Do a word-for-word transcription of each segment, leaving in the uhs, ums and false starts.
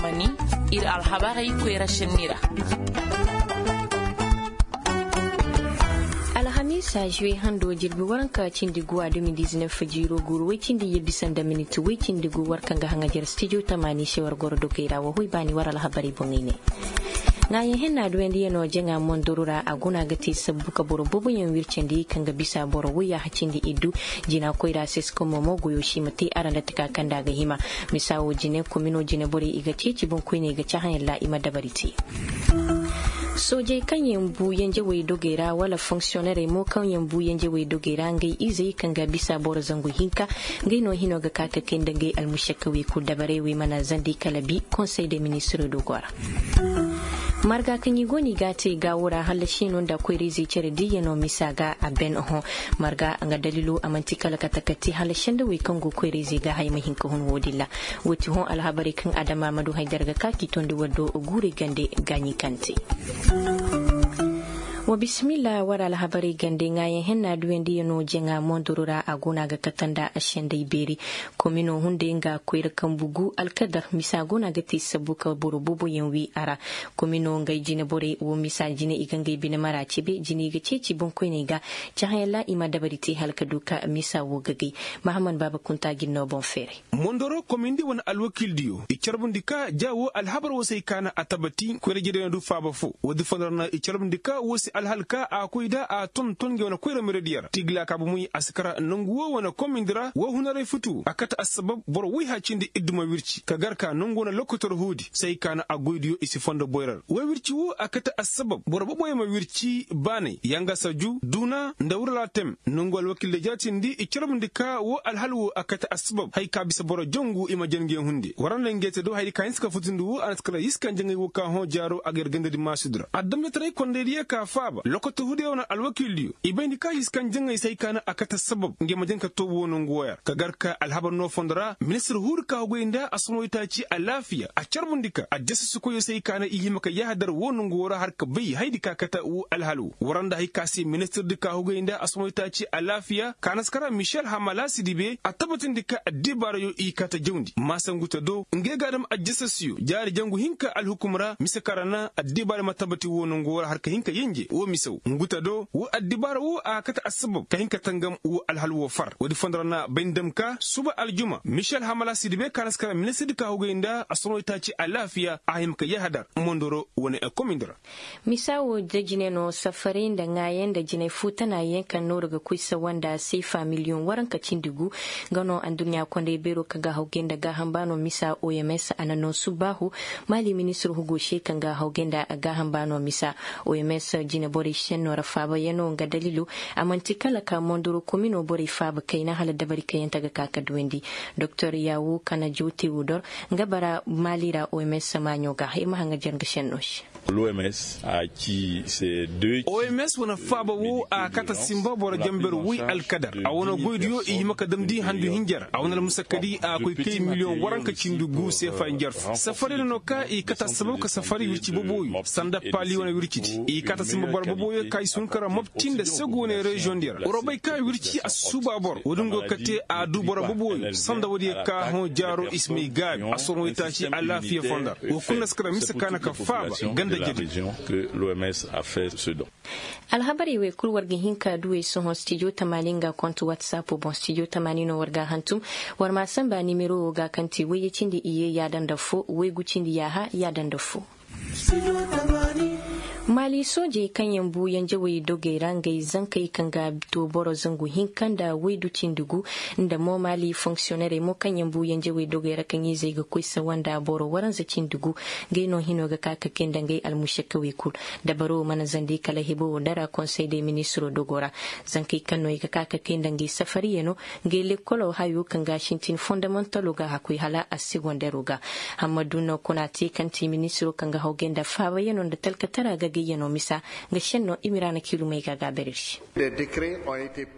Mani, ir alhabarey koyra senni ra. Alhamiisa juwe hando jirbi waranka cindi guwa de mil dizinef jiiro guuru woy cindi ye bisa nda minit woy cindi gu war kaŋ ga haŋajer stijo tamaani se war goro dogey ra wa hoy baani war alhabarey boŋey ne. Ŋaayaŋ henna duwendiyano jaŋa mondoro ra a guna ga te sabbu ka boro boboyaŋ wircandi kaŋ ga bisa boro woy ya hacindi iddu. Jina koyra seskom mo goyo si ma te ara nda taka kaŋ nda a ga hima. Misa wo jine komino jine borey i ga ceeci boŋkoyney ga cahã yalla i ma dabari te. Soojey kaŋ yaŋ bu yanjawey dogey ra wala fonksiyonerey mo kaŋ yaŋ bu yanjawey dogey ra ngey izey kaŋ ga bisa boro zangu hinka. Ngey no hino ga ka ka kay nda ngey almušakawey kul dabarey wey mana zandi kala bi konsey de ministiro dogo ra. Marga kaŋ i go no i ga a te gaawo ra hallasi no nda koyra-izey cere diyyano misa ga a ben oho. Marga nga dalilo a man'ti kala kate ka te hala sendawey kaŋ go koyra-izey ga haya ma hin ka hun wo-din ra. Wo ti hõ alhabarey kaŋ adama ma du haydar ga ka k'i tondi war do guurey gande gaaɲi kaŋ te. Wa bisimilla war alhabarey gande ŋaayaŋ henna duyandiyano jaŋa mondoro ra a go no a ga kate nda a sendey beeri. Komino hunday nga koyra kambu gu alkadar misa go no a ga te sabbu ka boro booboyaŋ wi a ra. Komino ngey jine borey wo misa jine i ga ngey bine mara cebe jine i ga ceeci boŋkoyney ga. Cahãyaŋ ra i ma dabari te hala ka du ka misa wo gagay. Mahammad baaba kunta ga ir no boŋ feeray. Mondoro komindi wane alwakiildiyo i carbundi ka ja wo alhabar wo se ay kaana a tabati koyra-ijediyano du faaba fo. Woodi fondo ra na i carbundi ka wo se alhal ka a koy nda a tonton ngey wane koyra merediyo ra tigila ka bomoy a si kara nangu wo wane komindi ra wo hunaray futu a kate assabab boro woy hacindi iddu ma wirci ka gar ka nangu wane lokotor huudi se ay kaana a goydiyo i si fondo boyra ra wo wirci wo a kate assabab boro boboyaŋ ma wirci baanay yangasa ju duuna nda wurala tem nangu alwakiildiyo jaatindi i carbundi ka wo alhal wo a kate assabab haya ka bisa boro jangu i ma jange hunde war nda ngey te do hayadi ka hinsa ka futundi wo a na si kala yiskan jaŋay wo ka hõ jaaro a ga yar gandadi maasudi ra adamjetaray kondaydiyo ka faaba lokoto hudiyo wane alwakiildiyo i bayndi ka yiskan jaŋay se hay ka na a kate sabab ngey ma jan ka to wo nangu wo ya ra ka gar ka alhabar no fondo ra ministir huudi ka hugay nda a somoytaaci alaafiya a carbundi ka addasasikoyo se hay ka na i hima ka yahadar wo nangu wo ra har ka bay hayadi ka kate wo alhal wo war nda hay ka se ministirdi ka hugay nda a somoytaaci alaafiya ka na si kara michel hamala sidibe a tabatindi ka addibaarayo i kate jawndi maasa ngu te do ngey ga a dam addasasiyo jaari jangu hinka alhukum ra mise kaŋ ra na addibaara ma tabati wo nangu wo ra har ka hin ka yenje wo mise wo ngu te do wo addibaara wo a ga kate assabab ka hin ka tangam wo alhal wo far woodi fondo ra na bay ni dam ka suba aljuma michel hamala sidibe ka na si kara ministirdi ka hugay nda a sonoytaaci alaafiya a hima ka yahadar mondoro wane komindi ra. Misa wo da jine no safaray nda ŋaayaŋ nda jinay fuutanayaŋ kaŋ nooru ga koy sawa nda seefa miliyoŋ waranka cindi gu. Nga no adduɲɲa kondey beero kaŋ ga hawgay nda gaaham baano misa oms a na no subbaahu. Maali ministir hugo se kaŋ ga hawgay nda gaaham baano misa oms jine borey senno ra faabayaŋo nga daliilo. A man'ti kala ka mondoro komino borey faaba kayna hala dabari kayante ga ka ka duwandi doktor yaawu kana jow tewodor nga bara maali ra oms maaɲo ga ir ma haŋajer nga senno se. Oms wane faaba wo a kate sinba boro jamber woy alkadar a wane goydiyo i hima ka damndi handu hinja ra a wane almusakadi a koy kay miliyoŋ waranka cindi gu seefa hinja ra fo safari no ka i kate assabab ka safari wirci boboyo sanda paali wane wircidi i kate sinba boro boboyo ka i si hun ka ra mopti nda segu wane reziyoŋ di ra woro bay ka wirci a si suuba boro woodin go ga kate a du boro boboyo sanda woodiyo ka hõ jaaro i si may gaabi a soroŋ waytaaci alaafiya fonda ra wo kulu na si kara mise ka na ka faaba ganda jedi. Alhabarey wey kul war ga hin ka duwey sohõ stijo tamaani nga kont whatsapp boŋ stijo tamaani no war ga a hantum. War ma a sanba nimero wo ga kaŋ ti wayye cindi iyye yaada nda fo waygu cindi yaaha yaada nda fo. Maali soojey kaŋ yaŋ bu yanjawey dogey ra ngey zankey kaŋ ga to boro zangu hinka nda waydu cindi gu nda mo maali fonksiyonerey mo kaŋ yaŋ bu yanjawey dogey ra kaŋ izey ga koy sawa nda boro waranza cindi gu. Ngey no hino ga ka ka kay nda ngey almušakawey kul dabaro mana zandi kala hebo wo dara konsey de ministiro dogo ra. Zankey kaŋ no i ga ka ka kay nda ngey safariyano ngey lekkolo hayo kaŋ ga sintin fondamantalo ga hakoy hala assegondero ga. Hammadu no kuna te kaŋ ti ministiro kaŋ ga hawgay nda faabayano nda talkatara ga. Yano misa nga senno imiraana kiilumey ga a gaabari ir se.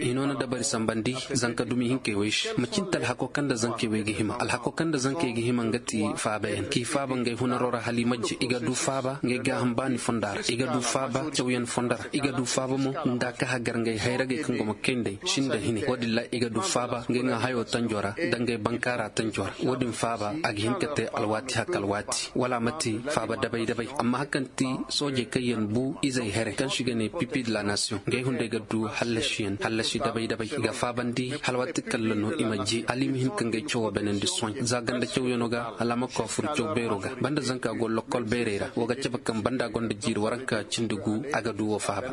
Hino na dabari sambandi zanka dumi hinkey wey se macin te alhako kaŋ nda zankey wey ga hima alhako kaŋ nda zankey ga hima nga ti faaba yaŋ k'i faaba ngey hunaro ra hala i majje i ga du faaba ngey gaaham baani fonda ra i ga du faaba cawyaŋ fonda ra i ga du faaba mo nda a ka hagar ngey hayragey kaŋ go ma kay nd'ey sinda hine wo-din ra i ga du faaba ngey ŋaahayo tanjo ra nda ngey bankaara tanjo ra wo-din faaba a ga hin ka te alwaati haka alwaati wala a ma te faaba dabay dabay amma hari kaŋ ti soojey kaŋ yaŋ bu izey here kaŋ se i ga ne pipi de la nation ngey hunday ga du hallasiyaŋ hallasi dabay dabay i ga faabandi hala waati kalla no i ma je hala i ma hin ka ngey cawo beenandi sohõ za ganda cawyano ga hala a ma koy a furu caw beero ga banda zanka go lokkol beerey ra wo ga cabe kaŋ banda gonda jiiri waranka cindi gu a ga du wo faaba.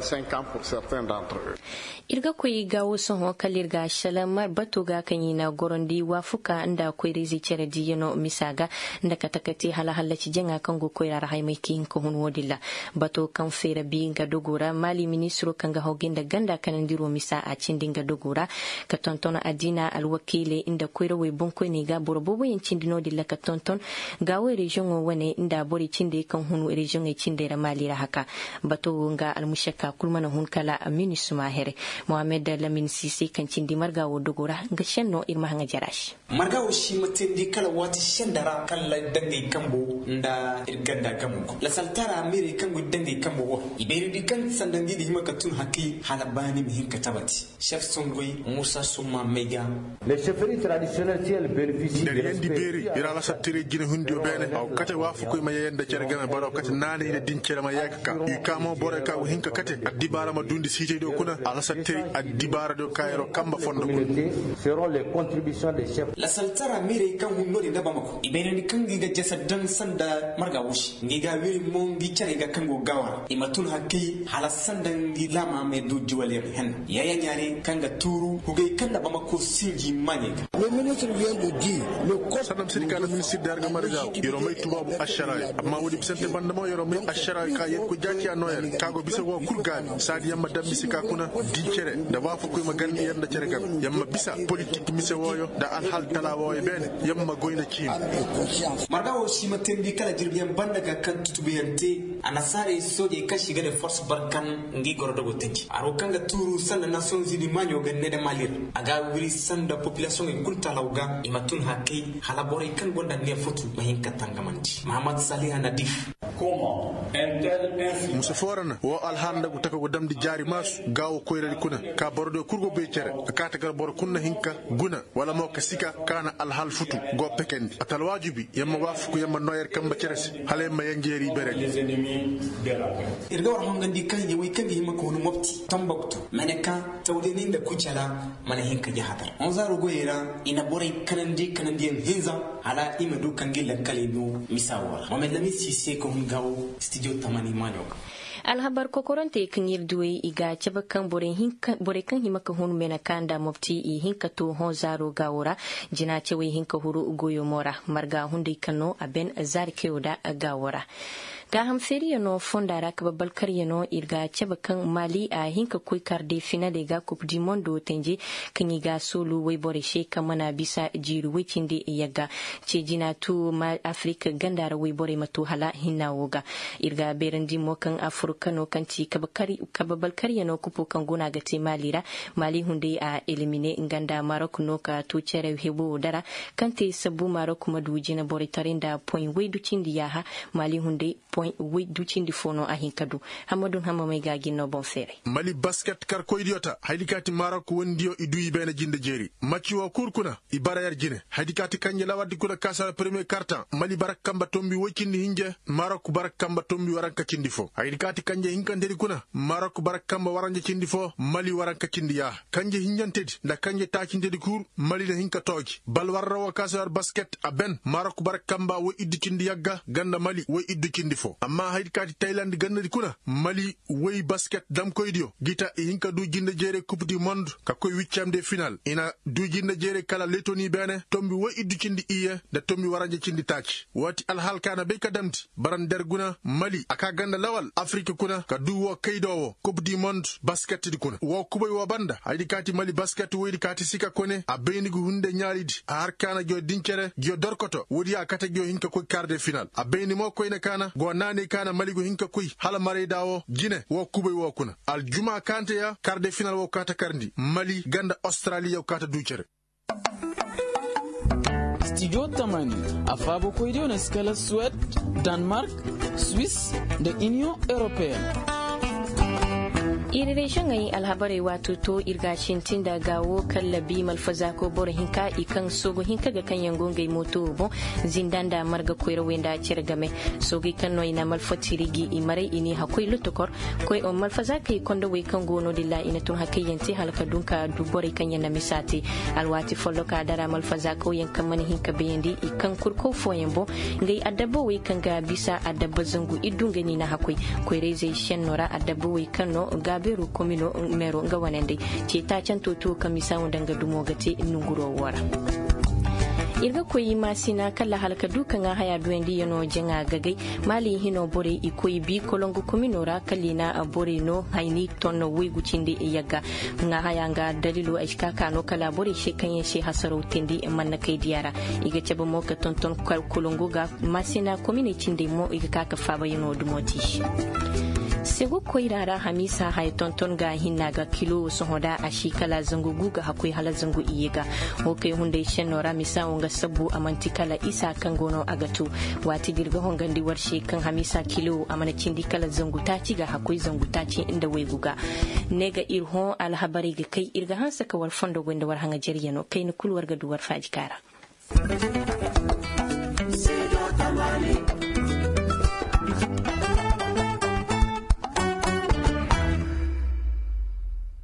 Ir ga koy gaawo sohõ kala ir ga a sala bato ga kaŋ i na gorandi waafuka nda koyra-izey cere diiyano misa ga nda kate-kate hala hallaci jaŋa kaŋ go koyra ra haymay ka hin ka hun wo-din ra. Bato kaŋ feera bi nga dogo ra maali ministiro kaŋ ga hawgay nda ganda kanandiro misa a cindi nga dogo ra ka tonton addiina alwakiiley nda koyrawey boŋkoyney ga boro booboyaŋ cindi no-din ra ka tonton gaawey reziyoŋo wane nda borey cindey kaŋ hun reziyoŋey cindey ra maali ra haka. Bato wo nga almušakka kul mana hun kala minisma here. Mohammed lamin sise kaŋ cindi marga wo dogo ra nga senno ir ma haŋa jara se. Marga wo si ma teendi kala waati senda ra kala dangay kambo nda ir ganda gamo. Lasaltara miirey kaŋ go dangay kambo wo i bayrandi kaŋ sanda ngi ga hima ka tun hakki hala baani ma hin ka tabati. Sef songoy musa summa may ga. Nda riyandi beeri ir alasattiray jinahundiyo beene a go kate waafakoy ma yayanda cere game boro kate naanay nda din cere ma yee ka ka i kaamo borey ka go hin ka kate addibaara ma duundi siitaydiyo kuna alasattiray addibaaradiyo ka yer'o kamba fondo kuna. Lasaltara miirey kaŋ hun no-din nda bamako i bayrandi kaŋ ngi ga jasa daŋ sanda marga wo se ngi ga a wiri mo ngi carey ga kaŋ go gaawa ra i ma tun hakkey hala sanda ngi laama ma du juwalyaŋ henna yaayaa ɲaari kaŋ ga tuuru hugey kaŋ nda bamako sinji maaɲey ga. Sanda ma si di ka nda ministir da har ga marga wo yer'o may tubaabu ašaraayo amma woodi bisante banda mo yer'o may ašaraayo ka yer koy jaaciya nooya ne ka go bisa go kul gaabi saadi yaŋ ma daŋ mise ka kuna dincere nda waafakoy ma garndi yaŋ nda cere game yaŋ ma bisa politik mise wooyo nda alhal tala wooyo beene yaŋ ma goy nda ciini. Marga wo si ma teendi kala jirbiyaŋ banda ga kaŋ tutubuyaŋ te annasaarey soojey kaŋ se i ga ne forse barkan ngi goro dogo tanji haro kaŋ ga tuuru sanda nasiyoŋ zini maaɲo ga ne nda maali ra a ga a wiri sanda popilasiyoŋey kul talaw ga i ma tun hakkey hala borey kaŋ gonda neefutu ma hin ka tangamandi mahamad saliha nadif. Musa foorana wo alhaala nda go taka go damndi jaari maasu gaawo koyradi kuna ka borodiyo kul go bay cere a kaate gar boro kul na hin ka guna wala mo ka sika ka na alhal futu go pekandi a ta alwaajibi yer ma waafaku yer ma noo yer kambe cere se hala yer ma yenjeeri beredi. Ir ga war hongandi kaŋ yawey kaŋ ga hima ka hun mopti tambaktu mene ka tawdeni nda kucala mana hin ka jahatar honzaaro goyey ra i na borey kanandi kanandiyaŋ hinza hala i ma du ka ngi lakkaley no misa wo ra mohamed lamin si se ka hun gaawo stijo tamani maaɲo ga. Alhabar kokorantey kaŋ ir duwey i ga a cabe kaŋ borey kaŋ hima ka hun meneka nda mopti i hin ka to hõ zaaro gaawo ra. Jina cawey hin ka huru goyomo ra marga hunday kaŋ no a ben zaari kayo da gaawo ra. Gaaham feeriyaŋo fonda ra kabe balkaryaŋo ir ga a cabe kaŋ maali a hin ka koy kar de finaley ga kup di mondo tenje kaŋ i ga a soolu woyborey se kaŋ mana bisa jiiri woy cindi yagga. Ce jina tu afirik ganda ra woyborey ma tu hala hinna wo ga. Ir ga a beerandi mo kaŋ afirikano kaŋ ti kabe balkaryaŋo kupo kaŋ guna ga te maali ra. Maali hunday a elimine nga nda marok no ka tu cere hebo wo dara kaŋ te sabbu marok ma du jina borey taray nda poy woy du cindi yaaha. Maali hunday poy woy du cindi fo no a hin ka du. Hammadun hammamey ga a gin no boŋ feeray. Mali basket karkoydiyo ta haydi ka ti marok wondiyo i du i beene jinde jeeri macci wo kul kuna. I bara yer jine haydi ka ti kanje lawardi kuna kaasara premiye kartaŋ mali bara kamba tombi woy cindi hinje marok bara kamba tombi waranka cindi fo haydi ka ti kanje hinkantedi kuna marok bara kamba waranja cindi fo mali waranka cindi yaaha kanje hinjantedi nda kanje taacintedi kul mali na hin ka tooji bal warra wo kaasara basket a ben marok bara kamba woy iddu cindi yagga ganda mali woy iddu cindi fo amma haydi ka ti tayland gandadi kuna mali woy basket damkoydiyo gita i hin ka du jinde jeerey kup di mond ka koy wiccam de final i na du jinde jeerey kala letoni beene tombi woy iddu cindi iyye nda tombi waranja cindi taaci woo ti alhal ka na bay ka damndi bara nda yer guna mali a ka ganda lawal afirik kuna ka du woo kaydo woo kup di mond basket di kuna woo kubay woo banda haydi ka ti mali basket woydi ka ti sika kone a bayndi ga hunde ɲaalidi a har ka na ngiyo din cere ngiyo dorkoto woodi a kate ngiyo hin ka koy kar de final a bayndi mo koyne ka na go naanay ka na mali go hin ka koy hala marayda wo jine wo kubay wo kuna aljuma kaŋ te ya kar de final wo kaa ta karndi mali ganda australiya wo kaa ta du cere. Studio tamani, a faabakoydiyo na si kala suwed, danmark, swiss, nda iniyoŋ europeen. Ir reziyoŋey alhabarey waato to ir ga a sintin nda ga wo kallabi malfazaako boro hinka i kaŋ soogu hinka ga kaŋ yaŋ go ngey mooto wo boŋ, zinda nda marga koyrawey nda cere game. Soogey kaŋ no i na malfatiri gi i maray i n'i hakkoy lotokor. Koy malfazaakey kondowey kaŋ go no- din ra i na tun hakayyaŋ te hala ka dun ka du borey kaŋ yaŋ na misa te. Alwaati folloka dara malfazaakawyaŋ kaŋ mana hin ka bayandi i kaŋ kurkaw fooyaŋ boŋ. Ngey adabba wey kaŋ ga bisa adabba zangu iddu ngey no i na hakkoy. Koyra-izey senno ra adabba wey kaŋ no gaabeeru komino meero nga wane nd'ey. Ceeta canto tuwo kaŋ misa wo nda nga dumo ga te nonguro wo ra. Ir ga koy maasina kala hala ka du ka ŋaa haya duyandiyano jaŋa gagay. Maali hino borey i koy bi kolongu komino ra kala i na borey no hayni ton waygu cindi yagga. Ŋaa haya nga dalilo ay si ka ka no kala borey se kaŋ yaŋ se hasaraw teendi mannakaydiya ra. I ga cabe mo ka tonton kolongu ga maasina kominey cindey mo i ga ka ka faabayano dumo te i se. Segu koyra ra hamiisa haya tonton ga hinna ga kilo sohõ da a si kala zangu gu ga hakkoy hala zangu iyye ga. Wo kay hunday senno ra misa wo nga sabbu a man'ti kala isa kaŋ go no a ga tu. Waati da ir ga hongandi war se kaŋ hamiisa kilo a mana cindi kala zangu taaci ga hakkoy zangu taaci nda waygu ga. Ne ga ir hõ alhabarey ga kay ir ga hanse ka war fondo goy nda war haŋajeriyano kayna kulu war ga du war faaji kaara.